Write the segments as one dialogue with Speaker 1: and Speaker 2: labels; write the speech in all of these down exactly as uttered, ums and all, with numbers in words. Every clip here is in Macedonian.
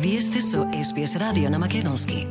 Speaker 1: Вие сте со Ес Би Ес радио на македонски.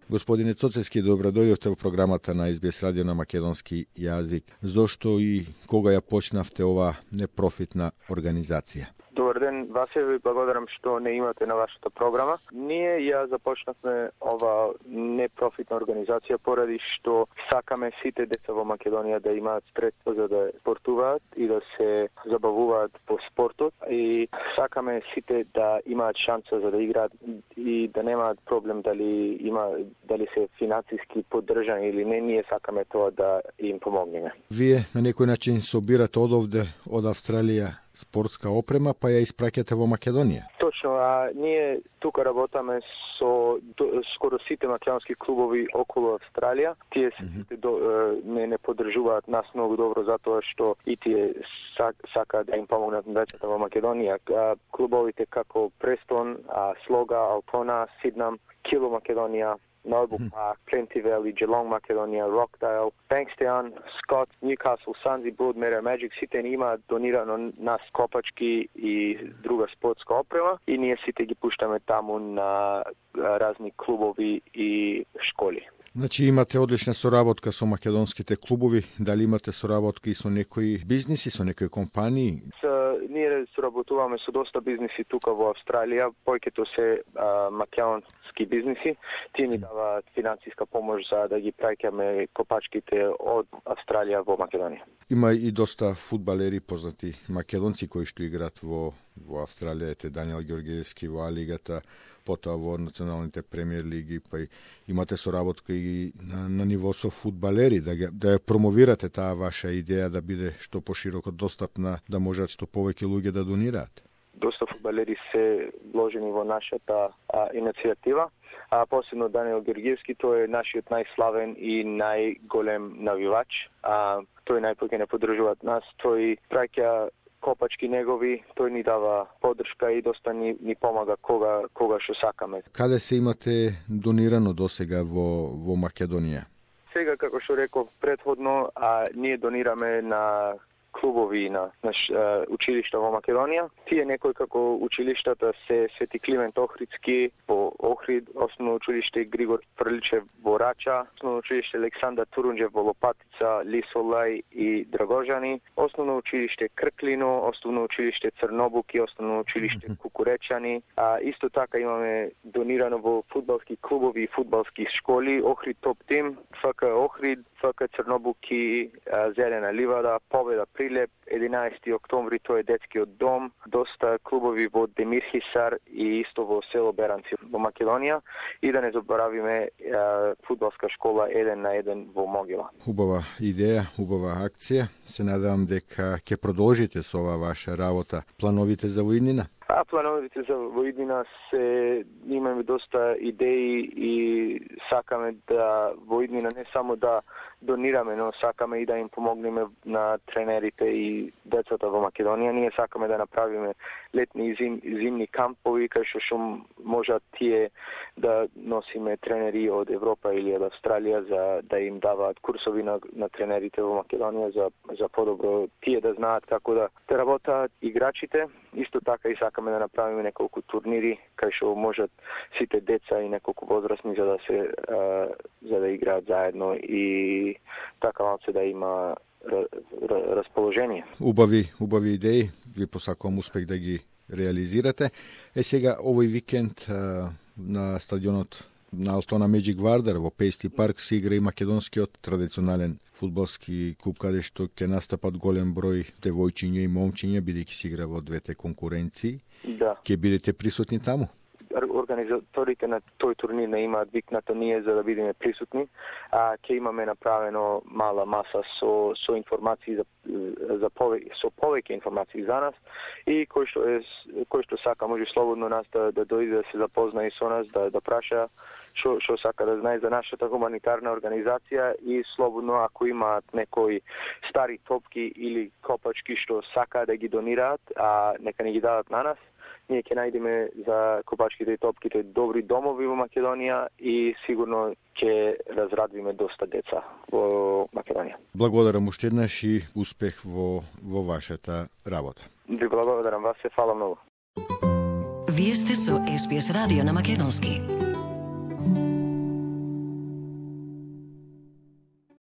Speaker 2: Господине Цоцевски, добро дојдовте во програмата на Ес Би Ес радио на македонски јазик. Зошто и кога ја почнавте ова непрофитна организација?
Speaker 3: Добар ден, Васе, ви благодарам што не имате на вашата програма. Ние ја започнавме ова непрофитна организација поради што сакаме сите деца во Македонија да имаат средства за да спортуваат и да се забавуваат по спортот и сакаме сите да имаат шанса за да играат и да немаат проблем дали има дали се финансиски поддржани или не. Ние сакаме тоа да им помогнеме.
Speaker 2: Вие на некој начин собирате од овде, од Австралија, спортска опрема, па ја испраќате во Македонија.
Speaker 3: Точно, а ние тука работаме со до, скоро сите македонски клубови околу Австралија. Тие сите до, не не поддржуваат нас многу добро затоа што и тие сак, сакаат да им помогнат на децата во Македонија. А, клубовите како Престон, а, Слога, Алтона, Сиднам, Кило Македонија, Melbourne Park, Plenty Valley, Geelong Македонија, Rockdale, Bankstown, Scott, Newcastle, Sunsy, Broadmeadow, Magic сите ни имаат донирано нас копачки и друга спортска опрема и ние сите ги пуштаме таму на разни клубови и школи.
Speaker 2: Значи имате одлична соработка со македонските клубови, дали имате соработка и со некои бизниси, со некои компании?
Speaker 3: Со, ние соработуваме со доста бизниси тука во Австралија, појкето се а, македонски бизниси. Тие ни даваат финансиска помош за да ги праќаме копачките од Австралија во Македонија.
Speaker 2: Има и доста фудбалери познати македонци кои што играат во во Австралија, ете Даниел Ѓорѓевски во А лигата, потоа во националните премиер лиги, па и имате соработка и на, на ниво со фудбалери, да, да ја промовирате таа ваша идеја да биде што пошироко достапна, да можат што повеќе луѓе да донираат.
Speaker 3: Доста фудбалери се вложени во нашата а, иницијатива, а посебно Даниел Ѓорѓевски, тој е нашиот најславен и најголем навивач. А, тој најпоќе не поддржуваат нас, тој праќа копачки негови, тој ни дава поддршка и доста ни, ни помага кога кога што сакаме.
Speaker 2: Каде се имате донирано досега во во Македонија?
Speaker 3: Сега, како што реков претходно, а ние донираме на клубови на наш uh, училишта во Македонија. Тие некои како училиштата се Свети Климент Охридски во Охрид, основно училиште Григор Фрличев во Рача, основно училиште Александар Турунџев во Лопатица, Лисолај и Драгожани, основно училиште Крклино, основно училиште Црнобуки, основно училиште Кукуречани. А исто така имаме донирано во фудбалски клубови и фудбалски школи, Охрид Топ Тим, ФК Охрид, ФК Црнобуки, Зелена ливада, Победа Прилеп, единаесети октомври, тој е детскиот дом, доста клубови во Демир Хисар и исто во село Беранци во Македонија и да не заборавиме е, фудбалска школа еден на еден во Могила.
Speaker 2: Убава идеја, убава акција. Се надевам дека ќе продолжите со ова ваша работа. Плановите за воиднина?
Speaker 3: А плановите за воиднина се имаме доста идеи и сакаме да воиднина не само да донираме, но сакаме и да им помогнеме на тренерите и децата во Македонија. Ние сакаме да направиме летни и зим, зимни кампови кај што што можат тие да носиме тренери од Европа или од Австралија за да им даваат курсови на, на тренерите во Македонија за за подобро тие да знаат како да те работаат играчите. Исто така и сакаме да направиме неколку турнири кај што можат сите деца и неколку возрастни за да се а, за да играат заедно и така малце да има расположение.
Speaker 2: Убави, убави идеи. Ви посакувам успех да ги реализирате. Е сега овој викенд а, на стадионот на Алтона Меджик Вардар во Пейсти парк се игра и македонскиот традиционален фудбалски клуб каде што ќе настапат голем број девојчиња и момчиња бидејќи се игра во двете конкуренции.
Speaker 3: Да.
Speaker 2: Ќе бидете присутни таму?
Speaker 3: Организаторите на тој турнир не имаат викнато ние за да бидеме присутни, а ќе имаме направено мала маса со со информации за за повеќе со повеќе информации за нас и кој што е кој што сака може слободно нас да, да дојде да се запознае со нас, да да праша што што сака да знае за нашата хуманитарна организација и слободно ако имаат некои стари топки или копачки што сака да ги донираат, а нека не ги дадат на нас. ние ќе најдеме за копачките и топките добри домови во Македонија и сигурно ќе разрадвиме доста деца во Македонија.
Speaker 2: Благодарам уште еднаш и успех во во вашата работа.
Speaker 3: Ви благодарам вас, се фала многу.
Speaker 1: Вие сте со Ес Би Ес радио на македонски.